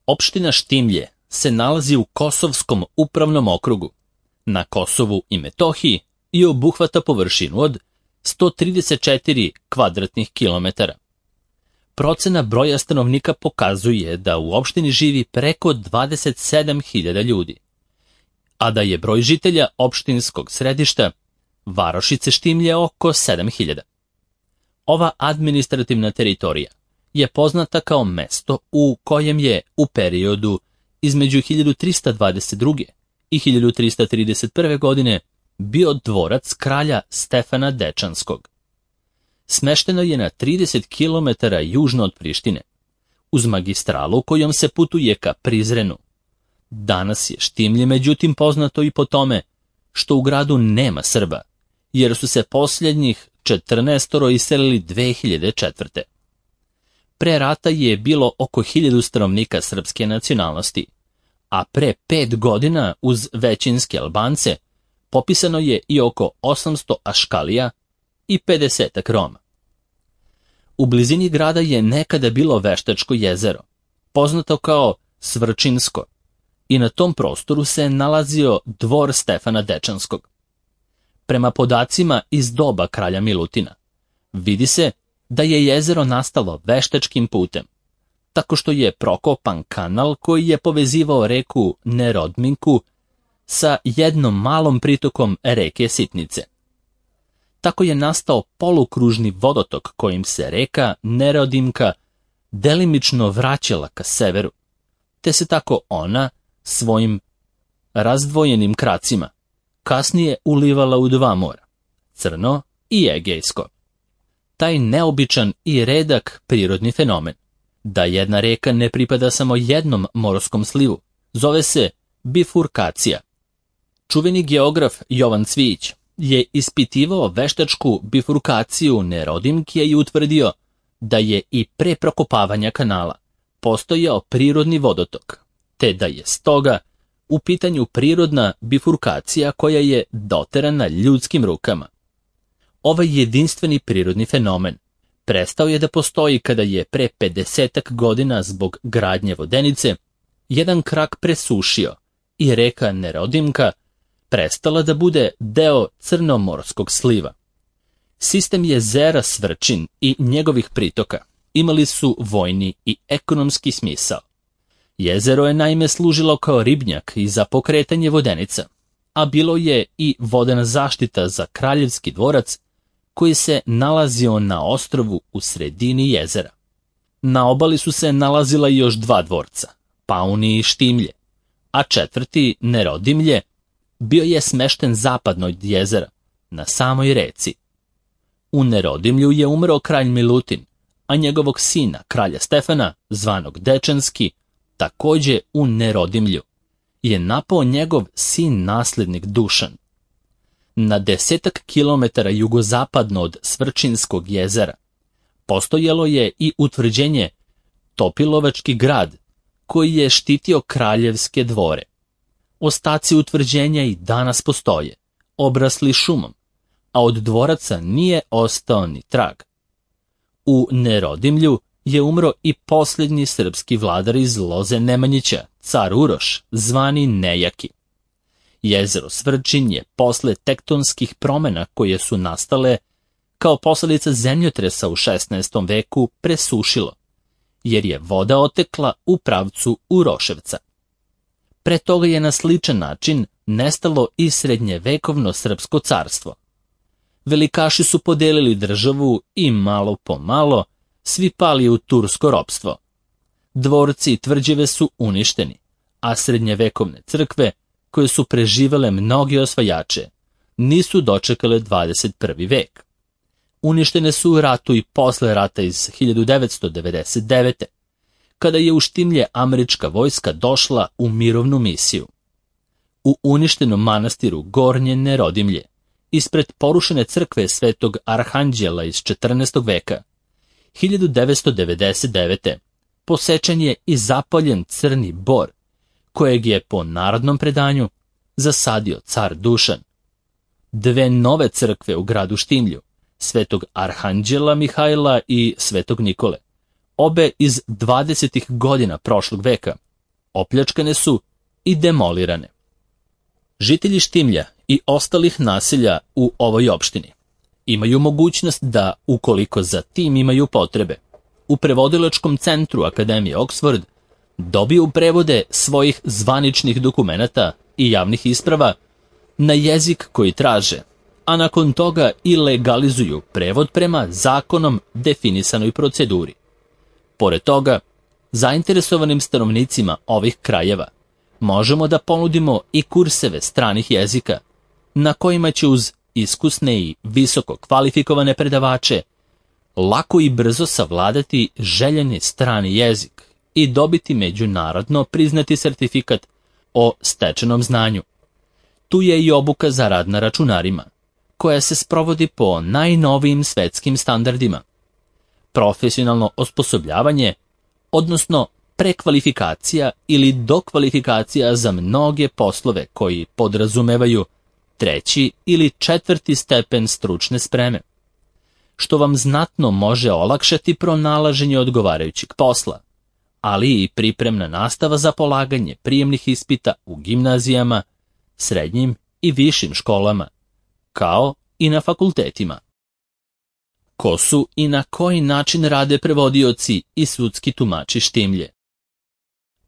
Opština Štimlje se nalazi u Kosovskom upravnom okrugu, na Kosovu i Metohiji i obuhvata površinu od 134 kvadratnih kilometara. Procena broja stanovnika pokazuje da u opštini živi preko 27.000 ljudi, a da je broj žitelja opštinskog središta varošice Štimlje oko 7.000. Ova administrativna teritorija je poznata kao mesto u kojem je u periodu između 1322. i 1331. godine bio dvorac kralja Stefana Dečanskog. Smešteno je na 30 km južno od Prištine, uz magistralu kojom se putuje ka Prizrenu. Danas je Štimlje međutim poznato i po tome što u gradu nema Srba, jer su se posljednjih 14 iselili 2004. Pre rata je bilo oko 1000 stanovnika srpske nacionalnosti, a pre 5 godina uz većinske Albance popisano je i oko 800 Aškalija i 50 Roma. U blizini grada je nekada bilo Veštačko jezero, poznato kao Svrčinsko, i na tom prostoru se nalazio dvor Stefana Dečanskog. Prema podacima iz doba kralja Milutina, vidi se da je jezero nastalo veštačkim putem, tako što je prokopan kanal koji je povezivao reku Nerodminku sa jednom malom pritokom reke Sitnice. Tako je nastao polukružni vodotok kojim se reka Nerodimka delimično vraćala ka severu, te se tako ona svojim razdvojenim kracima kasnije ulivala u dva mora, Crno i Egejsko. Taj neobičan i redak prirodni fenomen, da jedna reka ne pripada samo jednom morskom slivu, zove se bifurkacija. Čuveni geograf Jovan Cvijić je ispitivao veštačku bifurkaciju Nerodimke i utvrdio da je i pre prokopavanja kanala postojao prirodni vodotok, te da je stoga u pitanju prirodna bifurkacija koja je doterana ljudskim rukama. Ovaj jedinstveni prirodni fenomen prestao je da postoji kada je pre 50 godina zbog gradnje vodenice jedan krak presušio i reka Nerodimka prestala da bude deo crnomorskog sliva. Sistem jezera Svrčin i njegovih pritoka imali su vojni i ekonomski smisao. Jezero je naime služilo kao ribnjak i za pokretanje vodenica, a bilo je i vodena zaštita za kraljevski dvorac koji se nalazio na ostrvu u sredini jezera. Na obali su se nalazila još dva dvorca, Pauni i Štimlje, a četvrti, Nerodimlje, bio je smešten zapadno od jezera, na samoj reci. U Nerodimlju je umro kralj Milutin, a njegovog sina, kralja Stefana, zvanog Dečanski, takođe u Nerodimlju, je napao njegov sin naslednik Dušan. Na 10 kilometara jugozapadno od Svrčinskog jezera postojalo je i utvrđenje Topilovački grad, koji je štitio kraljevske dvore. Ostaci utvrđenja i danas postoje, obrasli šumom, a od dvoraca nije ostao ni trag. U Nerodimlju je umro i posljednji srpski vladar iz loze Nemanjića, car Uroš, zvani Nejaki. Jezero Svrčin je posle tektonskih promena koje su nastale kao posledica zemljotresa u 16. veku presušilo, jer je voda otekla u pravcu Uroševca. Pre toga je na sličan način nestalo i srednjevekovno srpsko carstvo. Velikaši su podelili državu i malo po malo svi pali u tursko ropstvo. Dvorci i tvrđave su uništeni, a srednjevekovne crkve, koje su preživele mnoge osvajače, nisu dočekale 21. vek. Uništene su u ratu i posle rata iz 1999. kada je u Štimlje američka vojska došla u mirovnu misiju. U uništenom manastiru Gornje Nerodimlje, ispred porušene crkve Svetog Arhanđela iz 14. veka, 1999. posečen je i zapaljen crni bor, kojeg je po narodnom predanju zasadio car Dušan. Dve nove crkve u gradu Štimlju, Svetog Arhanđela Mihajla i Svetog Nikole, obe iz 20. godina prošlog veka, opljačkane su i demolirane. Žitelji Štimlja i ostalih naselja u ovoj opštini imaju mogućnost da, ukoliko za tim imaju potrebe, u prevodilačkom centru Akademije Oxford dobiju prevode svojih zvaničnih dokumenata i javnih isprava na jezik koji traže, a nakon toga i legalizuju prevod prema zakonom definisanoj proceduri. Pored toga, zainteresovanim stanovnicima ovih krajeva možemo da ponudimo i kurseve stranih jezika, na kojima će uz iskusne i visoko kvalifikovane predavače lako i brzo savladati željeni strani jezik i dobiti međunarodno priznati sertifikat o stečenom znanju. Tu je i obuka za rad na računarima, koja se sprovodi po najnovijim svetskim standardima. Profesionalno osposobljavanje, odnosno prekvalifikacija ili dokvalifikacija za mnoge poslove koji podrazumevaju 3. ili 4. stepen stručne spreme, što vam znatno može olakšati pronalaženje odgovarajućeg posla, ali i pripremna nastava za polaganje prijemnih ispita u gimnazijama, srednjim i višim školama, kao i na fakultetima. Ko su i na koji način rade prevodioci i sudski tumači Štimlje?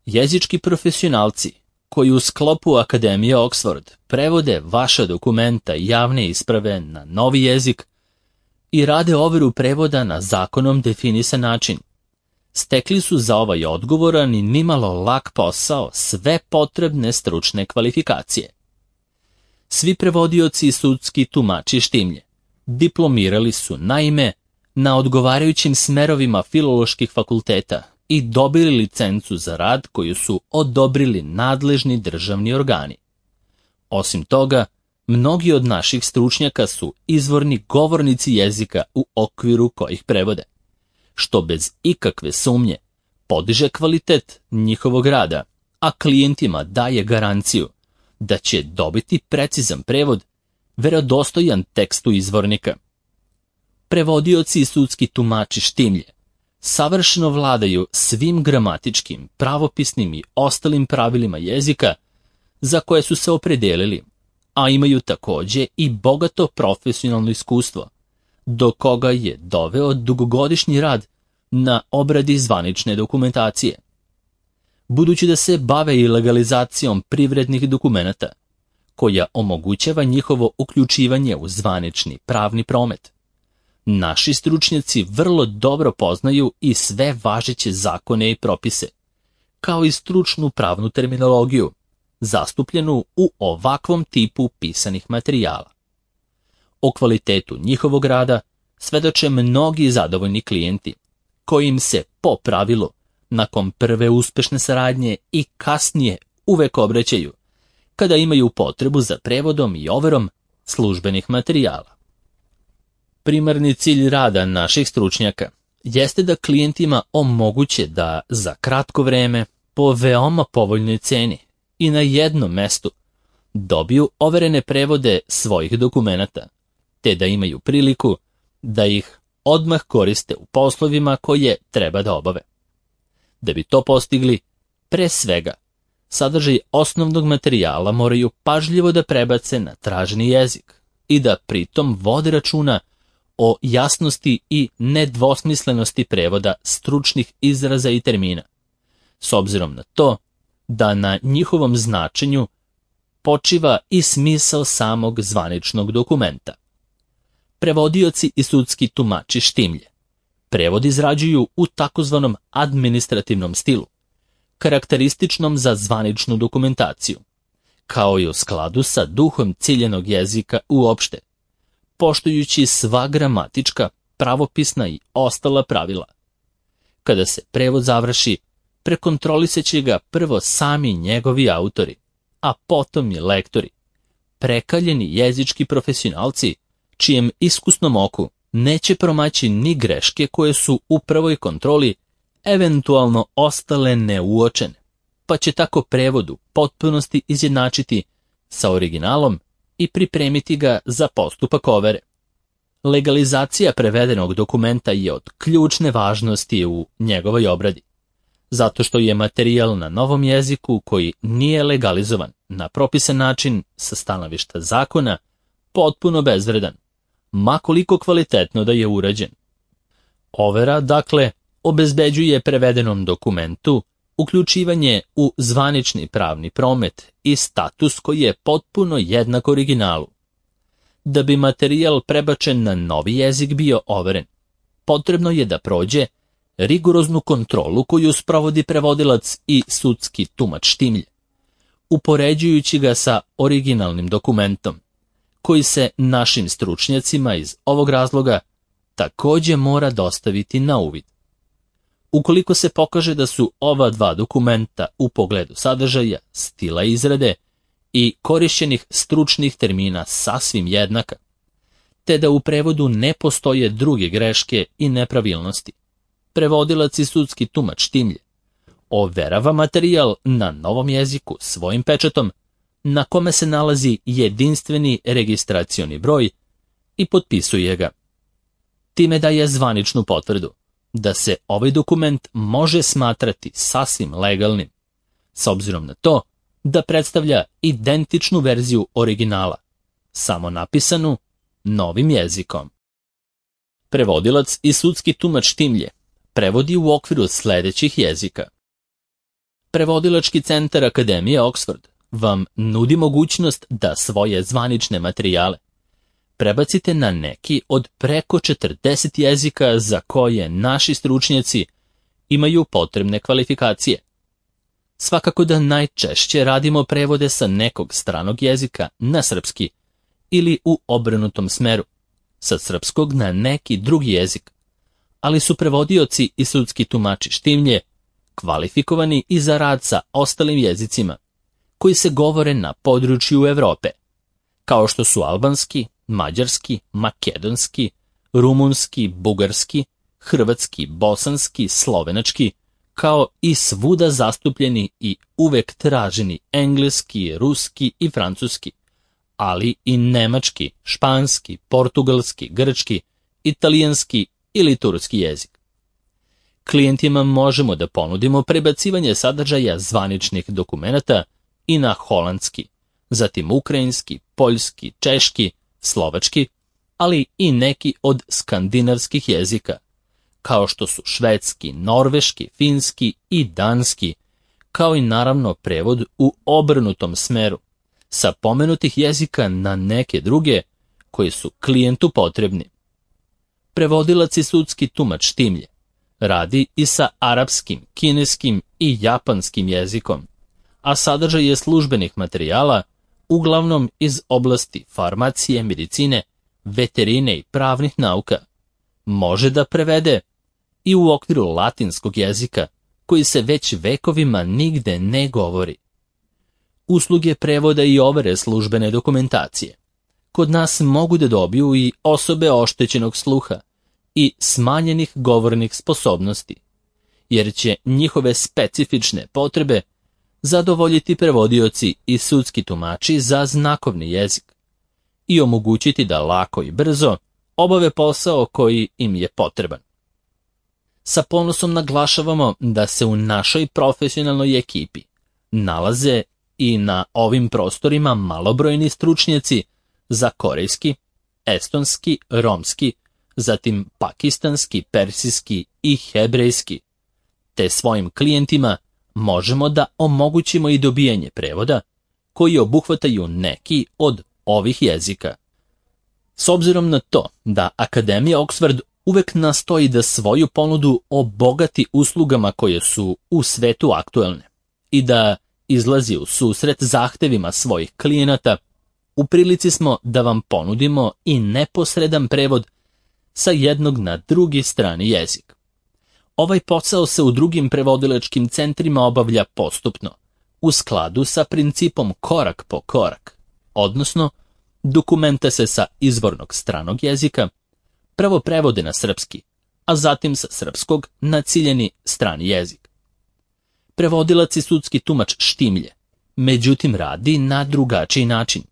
Jezički profesionalci koji u sklopu Akademije Oxford prevode vaša dokumenta i javne isprave na novi jezik i rade overu prevoda na zakonom definisan način, stekli su za ovaj odgovoran i nimalo lak posao sve potrebne stručne kvalifikacije. Svi prevodioci i sudski tumači Štimlje diplomirali su naime na odgovarajućim smerovima filoloških fakulteta i dobili licencu za rad koju su odobrili nadležni državni organi. Osim toga, mnogi od naših stručnjaka su izvorni govornici jezika u okviru kojih prevode, što bez ikakve sumnje podiže kvalitet njihovog rada, a klijentima daje garanciju da će dobiti precizan prevod, verodostojan tekstu izvornika. Prevodioci i sudski tumači Štimlje savršeno vladaju svim gramatičkim, pravopisnim i ostalim pravilima jezika za koje su se opredelili, a imaju takođe i bogato profesionalno iskustvo, do koga je doveo dugogodišnji rad na obradi zvanične dokumentacije. Budući da se bave i legalizacijom privrednih dokumenata, koja omogućava njihovo uključivanje u zvanični pravni promet, naši stručnjaci vrlo dobro poznaju i sve važeće zakone i propise, kao i stručnu pravnu terminologiju, zastupljenu u ovakvom tipu pisanih materijala. O kvalitetu njihovog rada svedoče mnogi zadovoljni klijenti, koji im se po pravilu, nakon prve uspešne saradnje i kasnije uvek obraćaju, kada imaju potrebu za prevodom i overom službenih materijala. Primarni cilj rada naših stručnjaka jeste da klijentima omoguće da za kratko vreme, po veoma povoljnoj ceni i na jednom mestu, dobiju overene prevode svojih dokumenata, te da imaju priliku da ih odmah koriste u poslovima koje treba da obave. Da bi to postigli, pre svega, sadržaj osnovnog materijala moraju pažljivo da prebace na traženi jezik i da pritom vode računa o jasnosti i nedvosmislenosti prevoda stručnih izraza i termina, s obzirom na to da na njihovom značenju počiva i smisao samog zvaničnog dokumenta. Prevodioci i sudski tumači Štimlje prevod izrađuju u takozvanom administrativnom stilu, karakterističnom za zvaničnu dokumentaciju, kao i u skladu sa duhom ciljenog jezika uopšte, poštujući sva gramatička, pravopisna i ostala pravila. Kada se prevod završi, prekontrolisaće ga prvo sami njegovi autori, a potom i lektori, prekaljeni jezički profesionalci, čijem iskusnom oku neće promaći ni greške koje su u prvoj kontroli eventualno ostale neuočene, pa će tako prevod u potpunosti izjednačiti sa originalom i pripremiti ga za postupak overe. Legalizacija prevedenog dokumenta je od ključne važnosti u njegovoj obradi. zato što je materijal na novom jeziku koji nije legalizovan na propisan način sa stanovišta zakona potpuno bezvredan, ma koliko kvalitetno da je urađen. Overa, dakle, obezbeđuje prevedenom dokumentu uključivanje u zvanični pravni promet i status koji je potpuno jednak originalu. Da bi materijal prebačen na novi jezik bio overen, potrebno je da prođe rigoroznu kontrolu koju sprovodi prevodilac i sudski tumač štimlje, upoređujući ga sa originalnim dokumentom, koji se našim stručnjacima iz ovog razloga također mora dostaviti na uvid. Ukoliko se pokaže da su ova dva dokumenta u pogledu sadržaja, stila izrade i korišćenih stručnih termina sasvim jednaka, te da u prevodu ne postoje druge greške i nepravilnosti, prevodilac i sudski tumač štimlje overava materijal na novom jeziku svojim pečatom, na kome se nalazi jedinstveni registracioni broj i potpisuje ga. Time daje zvaničnu potvrdu da se ovaj dokument može smatrati sasvim legalnim, s obzirom na to da predstavlja identičnu verziju originala, samo napisanu novim jezikom. Prevodilac i sudski tumač štimlje prevodi u okviru sledećih jezika. Prevodilački centar Akademije Oxford vam nudi mogućnost da svoje zvanične materijale prebacite na neki od preko 40 jezika za koje naši stručnjaci imaju potrebne kvalifikacije. Svakako da najčešće radimo prevode sa nekog stranog jezika na srpski ili u obrnutom smeru, sa srpskog na neki drugi jezik, ali su prevodioci i sudski tumači štimlje kvalifikovani i za rad sa ostalim jezicima koji se govore na području Evrope, kao što su albanski, mađarski, makedonski, rumunski, bugarski, hrvatski, bosanski, slovenački, kao i svuda zastupljeni i uvek traženi engleski, ruski i francuski, ali i nemački, španski, portugalski, grčki, italijanski ili turski jezik. Klijentima možemo da ponudimo prebacivanje sadržaja zvaničnih dokumenata i na holandski, zatim ukrajinski, poljski, češki, slovački, ali i neki od skandinavskih jezika, kao što su švedski, norveški, finski i danski, kao i naravno prevod u obrnutom smeru, sa pomenutih jezika na neke druge koji su klijentu potrebni. Prevodilac i sudski tumač štimlje radi i sa arapskim, kineskim i japanskim jezikom, a sadržaj je službenih materijala uglavnom iz oblasti farmacije, medicine, veterine i pravnih nauka. Može da prevede i u okviru latinskog jezika, koji se već vekovima nigde ne govori. Usluge prevoda i overe službene dokumentacije kod nas mogu da dobiju i osobe oštećenog sluha i smanjenih govornih sposobnosti, jer će njihove specifične potrebe zadovoljiti prevodioci i sudski tumači za znakovni jezik i omogućiti da lako i brzo obave posao koji im je potreban. Sa ponosom naglašavamo da se u našoj profesionalnoj ekipi nalaze i na ovim prostorima malobrojni stručnjaci za korejski, estonski, romski, zatim pakistanski, persijski i hebrejski, te svojim klijentima možemo da omogućimo i dobijanje prevoda koji obuhvataju neki od ovih jezika. S obzirom na to da Akademija Oxford uvek nastoji da svoju ponudu obogati uslugama koje su u svetu aktuelne i da izlazi u susret zahtevima svojih klijenata, u prilici smo da vam ponudimo i neposredan prevod sa jednog na drugi strani jezik. Ovaj posao se u drugim prevodilačkim centrima obavlja postupno, u skladu sa principom korak po korak, odnosno dokumenta se sa izvornog stranog jezika prvo prevode na srpski, a zatim sa srpskog na ciljeni strani jezik. Prevodilac i sudski tumač štimlje, međutim radi na drugačiji način,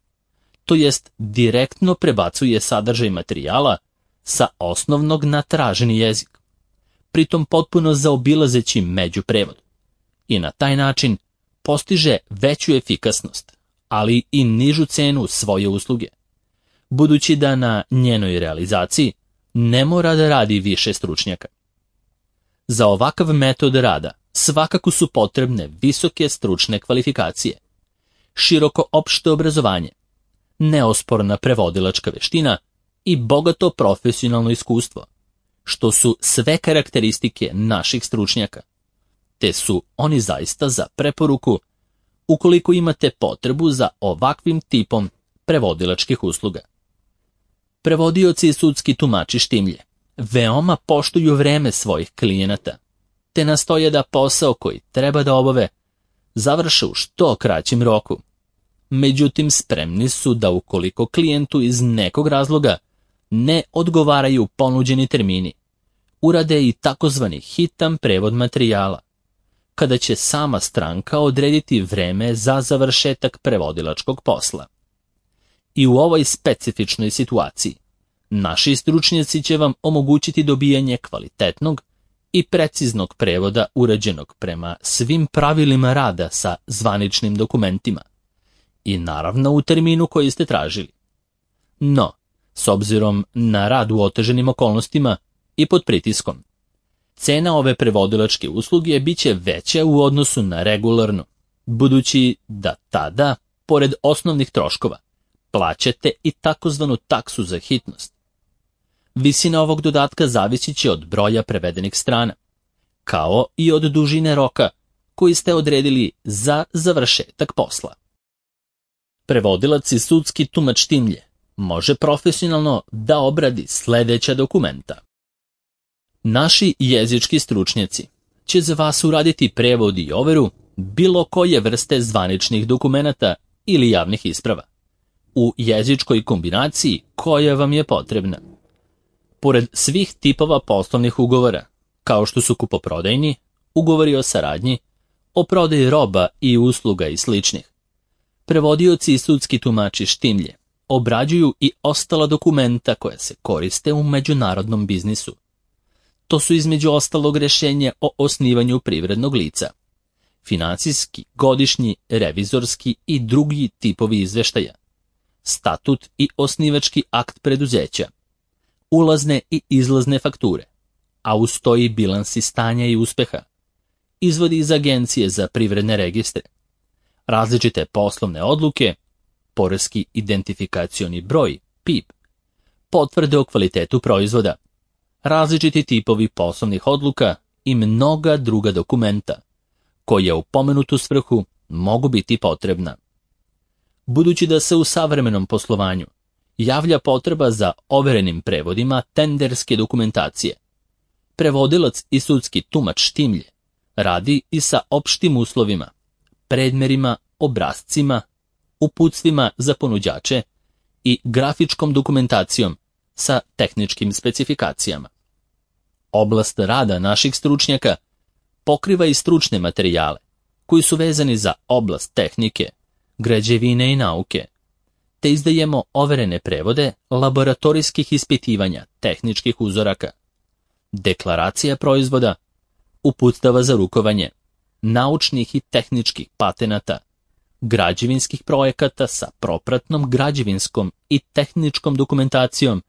to jest direktno prebacuje sadržaj materijala sa osnovnog na traženi jezik, pritom potpuno zaobilazeći međuprevod, i na taj način postiže veću efikasnost, ali i nižu cenu svoje usluge, budući da na njenoj realizaciji ne mora da radi više stručnjaka. Za ovakav metod rada svakako su potrebne visoke stručne kvalifikacije, široko opšte obrazovanje, neosporna prevodilačka veština i bogato profesionalno iskustvo, što su sve karakteristike naših stručnjaka, te su oni zaista za preporuku ukoliko imate potrebu za ovakvim tipom prevodilačkih usluga. Prevodioci i sudski tumači štimlje veoma poštuju vreme svojih klijenata, te nastoje da posao koji treba da obave završe u što kraćem roku. Međutim, spremni su da ukoliko klijentu iz nekog razloga ne odgovaraju ponuđeni termini, urade i takozvani hitan prevod materijala, kada će sama stranka odrediti vreme za završetak prevodilačkog posla. I u ovoj specifičnoj situaciji naši stručnjaci će vam omogućiti dobijanje kvalitetnog i preciznog prevoda urađenog prema svim pravilima rada sa zvaničnim dokumentima i naravno u terminu koji ste tražili. No, s obzirom na rad u oteženim okolnostima i pod pritiskom, cena ove prevodilačke usluge biće veća u odnosu na regularnu, budući da tada, pored osnovnih troškova, plaćate i takozvanu taksu za hitnost. Visina ovog dodatka zavisit će od broja prevedenih strana, kao i od dužine roka koji ste odredili za završetak posla. Prevodilac i sudski tumač štimlje može profesionalno da obradi sledeća dokumenta. Naši jezički stručnjaci će za vas uraditi prevod i overu bilo koje vrste zvaničnih dokumenata ili javnih isprava, u jezičkoj kombinaciji koja vam je potrebna. Pored svih tipova poslovnih ugovora, kao što su kupoprodajni, ugovori o saradnji, o prodaji roba i usluga i sličnih, prevodioci i sudski tumači štimlje obrađuju i ostala dokumenta koja se koriste u međunarodnom biznisu. To su između ostalog rješenje o osnivanju privrednog lica, financijski, godišnji, revizorski i drugi tipovi izveštaja, statut i osnivački akt preduzeća, ulazne i izlazne fakture, a uz to i bilansi stanja i uspeha, izvodi iz agencije za privredne registre, različite poslovne odluke, poreski identifikacioni broj, PIB, potvrde o kvalitetu proizvoda, različiti tipovi poslovnih odluka i mnoga druga dokumenta, koja u pomenutu svrhu mogu biti potrebna. Budući da se u savremenom poslovanju javlja potreba za overenim prevodima tenderske dokumentacije, prevodilac i sudski tumač štimlje radi i sa opštim uslovima, predmerima, obrascima, uputstvima za ponuđače i grafičkom dokumentacijom sa tehničkim specifikacijama. Oblast rada naših stručnjaka pokriva i stručne materijale koji su vezani za oblast tehnike, građevine i nauke, te izdajemo overene prevode laboratorijskih ispitivanja tehničkih uzoraka, deklaracija proizvoda, uputstava za rukovanje, naučnih i tehničkih patenata, građevinskih projekata sa propratnom građevinskom i tehničkom dokumentacijom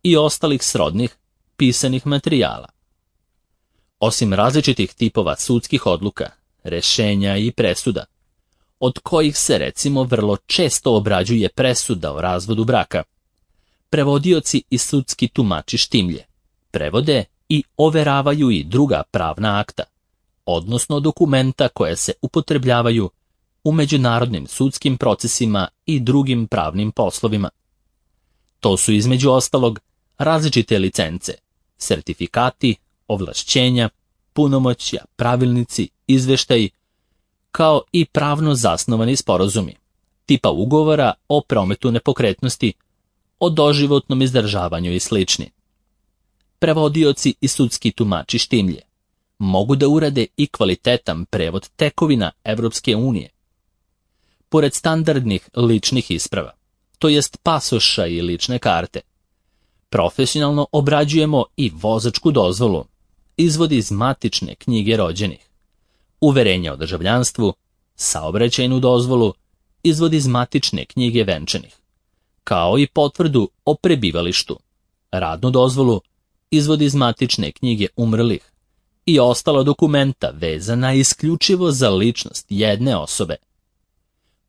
i ostalih srodnih pisanih materijala. Osim različitih tipova sudskih odluka, rešenja i presuda, od kojih se recimo vrlo često obrađuje presuda o razvodu braka, prevodioci i sudski tumači štimlje prevode i overavaju i druga pravna akta, odnosno dokumenta koje se upotrebljavaju u međunarodnim sudskim procesima i drugim pravnim poslovima. To su između ostalog različite licence, sertifikati, ovlašćenja, punomoćja, pravilnici, izveštaji, kao i pravno zasnovani sporazumi, tipa ugovora o prometu nepokretnosti, o doživotnom izdržavanju i slični. Prevodioci i sudski tumači štimlje mogu da urade i kvalitetan prevod tekovina Evropske unije. Pored standardnih ličnih isprava, to jest pasoša i lične karte, profesionalno obrađujemo i vozačku dozvolu, izvod iz matične knjige rođenih, uverenje o državljanstvu, saobraćajnu dozvolu, izvod iz matične knjige venčanih, kao i potvrdu o prebivalištu, radnu dozvolu, izvod iz matične knjige umrlih i ostala dokumenta vezana isključivo za ličnost jedne osobe.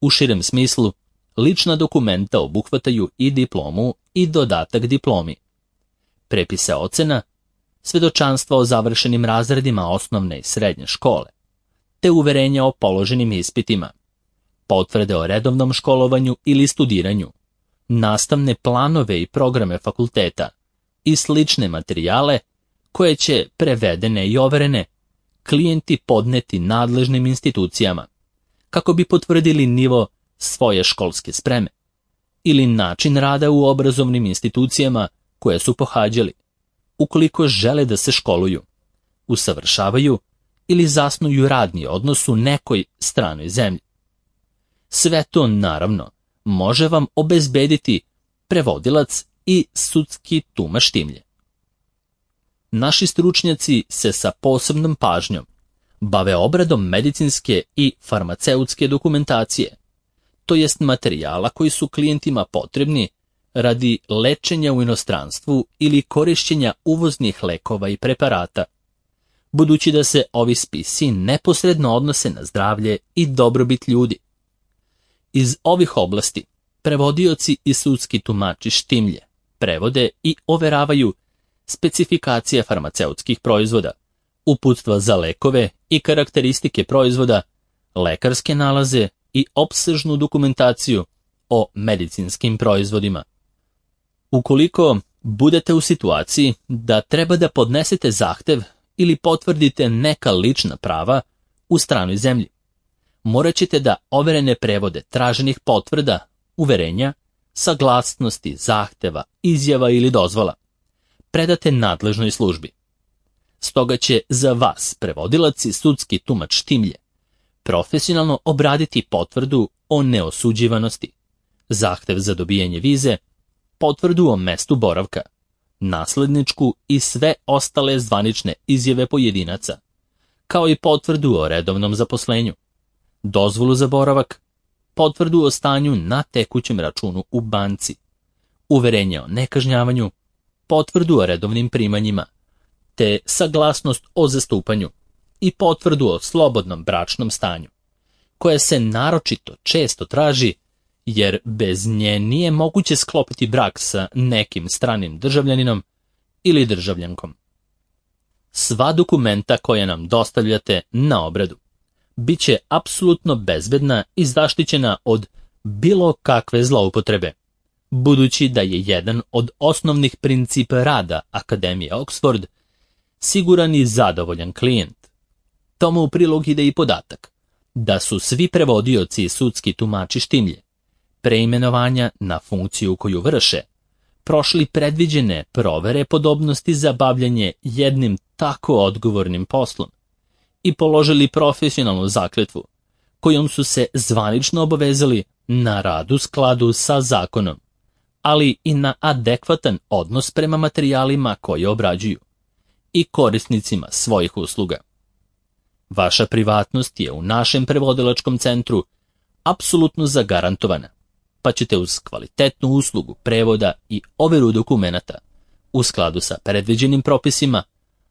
U širem smislu, lična dokumenta obuhvataju i diplomu i dodatak diplomi, prepise ocena, svedočanstva o završenim razredima osnovne i srednje škole, te uverenja o položenim ispitima, potvrde o redovnom školovanju ili studiranju, nastavne planove i programe fakulteta i slične materijale koje će, prevedene i overene, klijenti podneti nadležnim institucijama, kako bi potvrdili nivo svoje školske spreme ili način rada u obrazovnim institucijama koje su pohađali, ukoliko žele da se školuju, usavršavaju ili zasnuju radni odnos u nekoj stranoj zemlji. Sve to, naravno, može vam obezbediti prevodilac i sudski tumač Štimlje. Naši stručnjaci se sa posebnom pažnjom bave obradom medicinske i farmaceutske dokumentacije, to jest materijala koji su klijentima potrebni radi lečenja u inostranstvu ili korišćenja uvoznih lekova i preparata, budući da se ovi spisi neposredno odnose na zdravlje i dobrobit ljudi. Iz ovih oblasti prevodioci i sudski tumači Štimlje prevode i overavaju specifikacije farmaceutskih proizvoda, uputstva za lekove i karakteristike proizvoda, lekarske nalaze i opsežnu dokumentaciju o medicinskim proizvodima. Ukoliko budete u situaciji da treba da podnesete zahtev ili potvrdite neka lična prava u stranoj zemlji, morat ćete da overene prevode traženih potvrda, uverenja, saglasnosti, zahteva, izjava ili dozvola predate nadležnoj službi. Stoga će za vas prevodilac i sudski tumač Štimlje profesionalno obraditi potvrdu o neosuđivanosti, zahtev za dobijanje vize, potvrdu o mestu boravka, nasledničku i sve ostale zvanične izjave pojedinaca, kao i potvrdu o redovnom zaposlenju, dozvolu za boravak, potvrdu o stanju na tekućem računu u banci, uverenje o nekažnjavanju, potvrdu o redovnim primanjima, te saglasnost o zastupanju i potvrdu o slobodnom bračnom stanju, koja se naročito često traži jer bez nje nije moguće sklopiti brak sa nekim stranim državljaninom ili državljankom. Sva dokumenta koja nam dostavljate na obradu bit će apsolutno bezbedna i zaštićena od bilo kakve zloupotrebe, budući da je jedan od osnovnih principa rada Akademije Oxford siguran i zadovoljan klijent. Tomu u prilog ide i podatak da su svi prevodioci i sudski tumači Štimlje preimenovanja na funkciju koju vrše prošli predviđene provere podobnosti za bavljanje jednim tako odgovornim poslom i položili profesionalnu zakletvu kojom su se zvanično obavezali na rad u skladu sa zakonom, ali i na adekvatan odnos prema materijalima koje obrađuju i korisnicima svojih usluga. Vaša privatnost je u našem prevodilačkom centru apsolutno zagarantovana, pa ćete uz kvalitetnu uslugu prevoda i overu dokumenata u skladu sa predviđenim propisima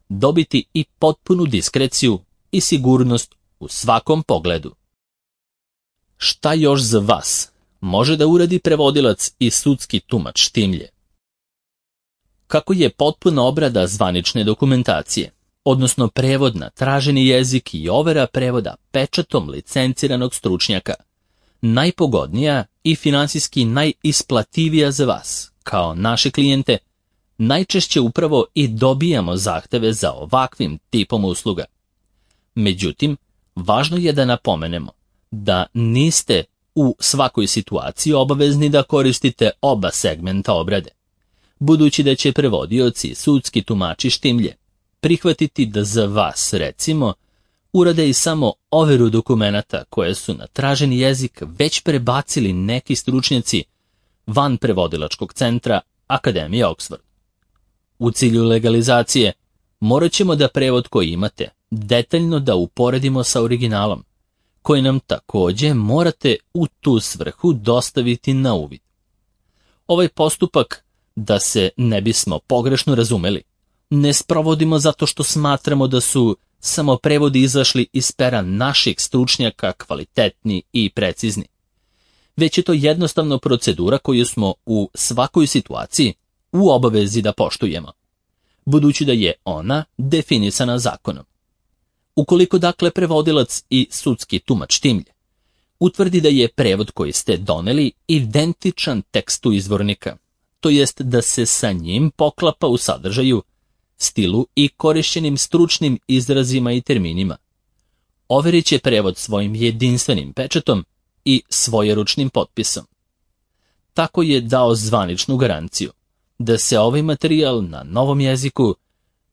dobiti i potpunu diskreciju i sigurnost u svakom pogledu. Šta još za vas može da uradi prevodilac i sudski tumač Štimlje? Kako je potpuna obrada zvanične dokumentacije, odnosno prevod na traženi jezik i overa prevoda pečatom licenciranog stručnjaka, najpogodnija i finansijski najisplativija za vas, kao naše klijente, najčešće upravo i dobijamo zahteve za ovakvim tipom usluga. Međutim, važno je da napomenemo da niste u svakoj situaciji obavezni da koristite oba segmenta obrade, budući da će prevodioci i sudski tumači Štimlje prihvatiti da za vas, recimo, urade i samo overu dokumenata koje su na traženi jezik već prebacili neki stručnjaci van prevodilačkog centra Akademije Oxford. U cilju legalizacije morat ćemo da prevod koji imate detaljno da uporedimo sa originalom, koji nam takođe morate u tu svrhu dostaviti na uvid. Ovaj postupak, da se ne bismo pogrešno razumeli, ne sprovodimo zato što smatramo da su samo prevodi izašli iz pera naših stručnjaka kvalitetni i precizni, već je to jednostavno procedura koju smo u svakoj situaciji u obavezi da poštujemo, budući da je ona definisana zakonom. Ukoliko dakle prevodilac i sudski tumač Timlje utvrdi da je prevod koji ste doneli identičan tekstu izvornika, to jest da se sa njim poklapa u sadržaju, stilu i korišćenim stručnim izrazima i terminima, overit će prevod svojim jedinstvenim pečatom i svojeručnim potpisom. Tako je dao zvaničnu garanciju da se ovaj materijal na novom jeziku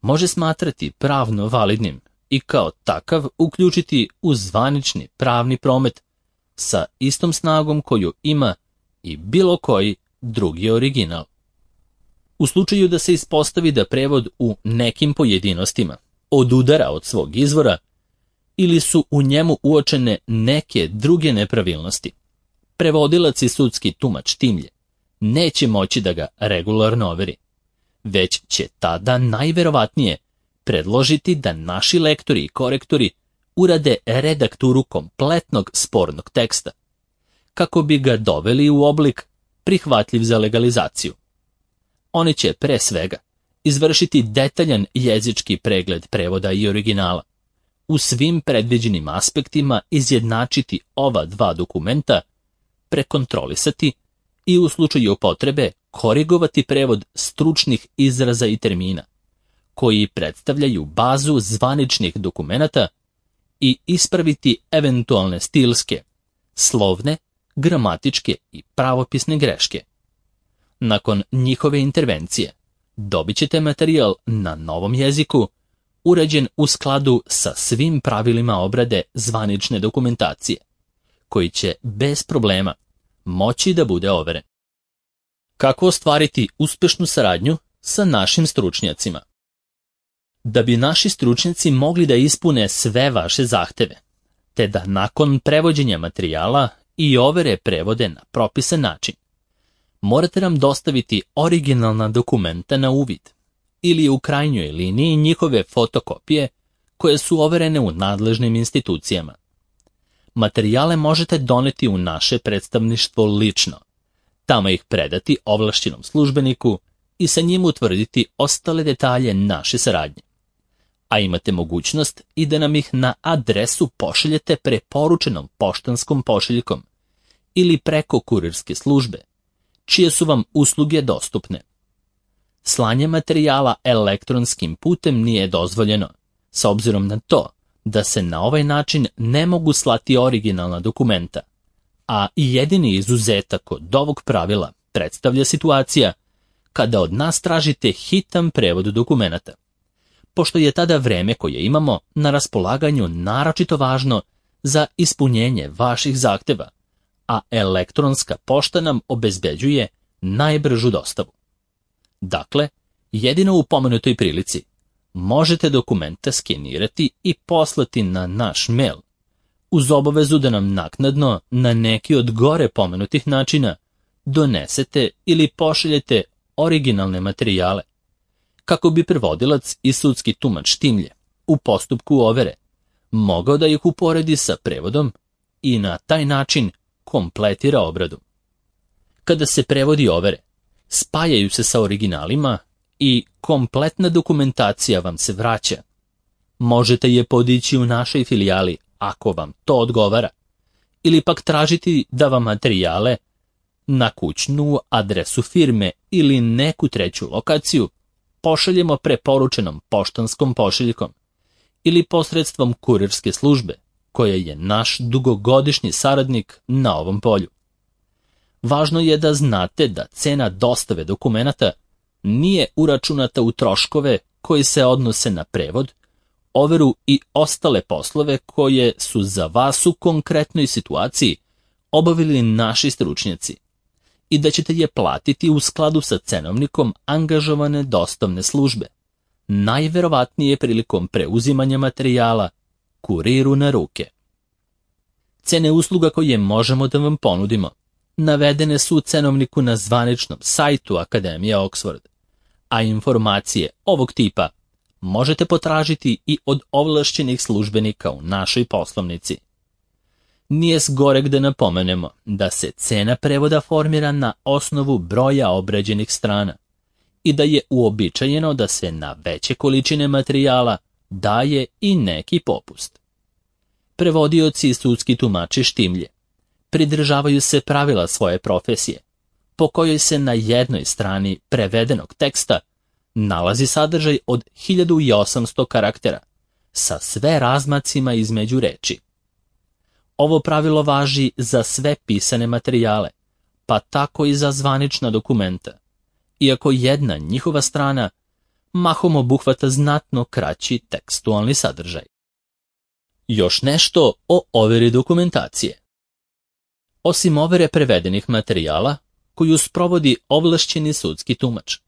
može smatrati pravno validnim i kao takav uključiti u zvanični pravni promet sa istom snagom koju ima i bilo koji drugi original. U slučaju da se ispostavi da prevod u nekim pojedinostima odudara od svog izvora ili su u njemu uočene neke druge nepravilnosti, prevodilac i sudski tumač Timlje neće moći da ga regularno overi, već će tada najverovatnije predložiti da naši lektori i korektori urade redakturu kompletnog spornog teksta, kako bi ga doveli u oblik prihvatljiv za legalizaciju. Oni će pre svega izvršiti detaljan jezički pregled prevoda i originala, u svim predviđenim aspektima izjednačiti ova dva dokumenta, prekontrolisati i u slučaju potrebe korigovati prevod stručnih izraza i termina, koji predstavljaju bazu zvaničnih dokumenata i ispraviti eventualne stilske, slovne, gramatičke i pravopisne greške. Nakon njihove intervencije dobit ćete materijal na novom jeziku, urađen u skladu sa svim pravilima obrade zvanične dokumentacije, koji će bez problema moći da bude overen. Kako ostvariti uspešnu saradnju sa našim stručnjacima? Da bi naši stručnjaci mogli da ispune sve vaše zahteve, te da nakon prevođenja materijala i overe prevode na propisan način, morate nam dostaviti originalna dokumenta na uvid ili u krajnjoj liniji njihove fotokopije koje su overene u nadležnim institucijama. Materijale možete doneti u naše predstavništvo lično, tamo ih predati ovlašćenom službeniku i sa njim utvrditi ostale detalje naše saradnje. A imate mogućnost i da nam ih na adresu pošaljete preporučenom poštanskom pošiljkom ili preko kurirske službe, čije su vam usluge dostupne. Slanje materijala elektronskim putem nije dozvoljeno, s obzirom na to da se na ovaj način ne mogu slati originalna dokumenta, a jedini izuzetak od ovog pravila predstavlja situacija kada od nas tražite hitan prevod dokumenata, pošto je tada vreme koje imamo na raspolaganju naročito važno za ispunjenje vaših zahteva, a elektronska pošta nam obezbeđuje najbržu dostavu. Dakle, jedino u pomenutoj prilici možete dokumente skenirati i poslati na naš mail, uz obavezu da nam naknadno na neki od gore pomenutih načina donesete ili pošaljete originalne materijale, kako bi prevodilac i sudski tumač Timlje u postupku overe mogao da ih uporedi sa prevodom i na taj način kompletira obradu. Kada se prevodi overe, spajaju se sa originalima i kompletna dokumentacija vam se vraća. Možete je podići u našoj filijali ako vam to odgovara, ili pak tražiti da vam materijale na kućnu adresu firme ili neku treću lokaciju pošaljemo preporučenom poštanskom pošiljkom ili posredstvom kurirske službe, koja je naš dugogodišnji saradnik na ovom polju. Važno je da znate da cena dostave dokumenata nije uračunata u troškove koji se odnose na prevod, overu i ostale poslove koje su za vas u konkretnoj situaciji obavili naši stručnjaci i da ćete je platiti u skladu sa cenovnikom angažovane dostavne službe, najverovatnije prilikom preuzimanja materijala, kuriru na ruke. Cene usluga koje možemo da vam ponudimo navedene su u cenovniku na zvaničnom sajtu Akademije Oxford, a informacije ovog tipa možete potražiti i od ovlašćenih službenika u našoj poslovnici. Nije zgoreg da napomenemo da se cena prevoda formira na osnovu broja obrađenih strana i da je uobičajeno da se na veće količine materijala daje i neki popust. Prevodioci i sudski tumači štimlje pridržavaju se pravila svoje profesije, po kojoj se na jednoj strani prevedenog teksta nalazi sadržaj od 1800 karaktera, sa sve razmacima između reči. Ovo pravilo važi za sve pisane materijale, pa tako i za zvanična dokumenta, iako jedna njihova strana mahom obuhvata znatno kraći tekstualni sadržaj. Još nešto o overi dokumentacije. Osim overe prevedenih materijala, koju sprovodi ovlašćeni sudski tumač,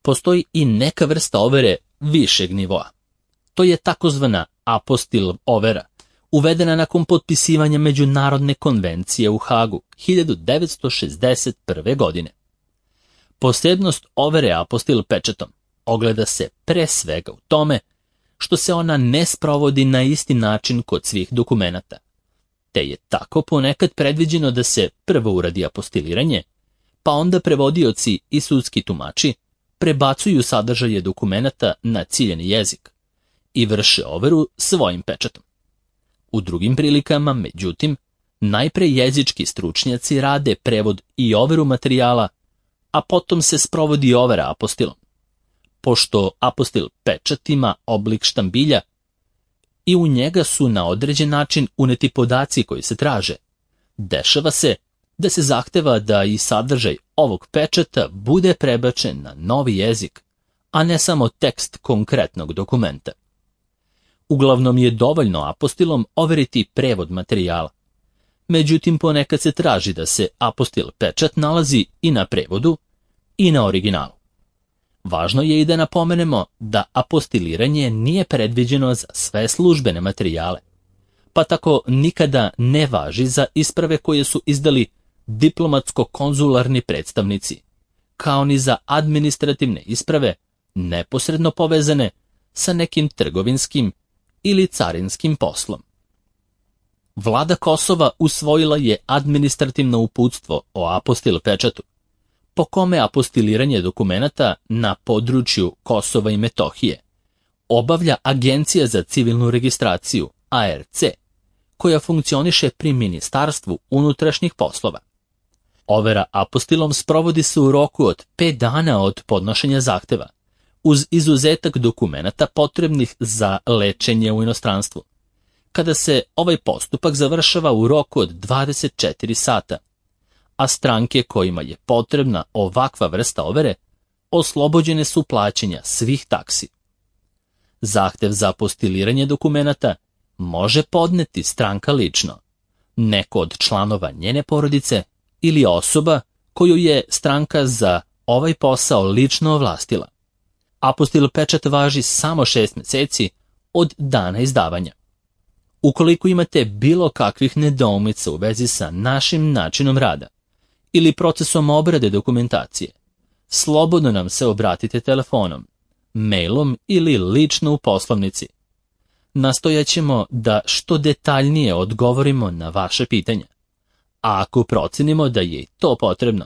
postoji i neka vrsta overe višeg nivoa. To je takozvana apostil overa, uvedena nakon potpisivanja Međunarodne konvencije u Hagu 1961. godine. Posebnost overe apostil pečatom ogleda se pre svega u tome što se ona ne sprovodi na isti način kod svih dokumenata, te je tako ponekad predviđeno da se prvo uradi apostiliranje, pa onda prevodioci i sudski tumači prebacuju sadržaje dokumenata na ciljeni jezik i vrše overu svojim pečatom. U drugim prilikama, međutim, najpre jezički stručnjaci rade prevod i overu materijala, a potom se sprovodi overa apostilom. Pošto apostil pečat ima oblik štambilja i u njega su na određen način uneti podaci koji se traže, dešava se da se zahteva da i sadržaj ovog pečata bude prebačen na novi jezik, a ne samo tekst konkretnog dokumenta. Uglavnom je dovoljno apostilom overiti prevod materijala. Međutim, ponekad se traži da se apostil pečat nalazi i na prevodu i na originalu. Važno je i da napomenemo da apostiliranje nije predviđeno za sve službene materijale, pa tako nikada ne važi za isprave koje su izdali diplomatsko-konzularni predstavnici, kao ni za administrativne isprave neposredno povezane sa nekim trgovinskim ili carinskim poslom. Vlada Kosova usvojila je administrativno uputstvo o apostil pečatu, po kome apostiliranje dokumenata na području Kosova i Metohije obavlja Agencija za civilnu registraciju, ARC, koja funkcioniše pri Ministarstvu unutrašnjih poslova. Overa apostilom sprovodi se u roku od 5 dana od podnošenja zahteva, uz izuzetak dokumenata potrebnih za lečenje u inostranstvu, kada se ovaj postupak završava u roku od 24 sata, a stranke kojima je potrebna ovakva vrsta overe oslobođene su plaćanja svih taksi. Zahtev za apostiliranje dokumenata može podneti stranka lično, neko od članova njene porodice ili osoba koju je stranka za ovaj posao lično ovlastila. Apostil pečat važi samo 6 meseci od dana izdavanja. Ukoliko imate bilo kakvih nedoumica u vezi sa našim načinom rada ili procesom obrade dokumentacije, slobodno nam se obratite telefonom, mailom ili lično u poslovnici. Nastojaćemo da što detaljnije odgovorimo na vaše pitanja, a ako procenimo da je i to potrebno,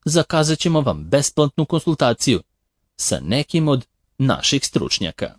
zakazat ćemo vam besplatnu konsultaciju sa nekim od naših stručnjaka.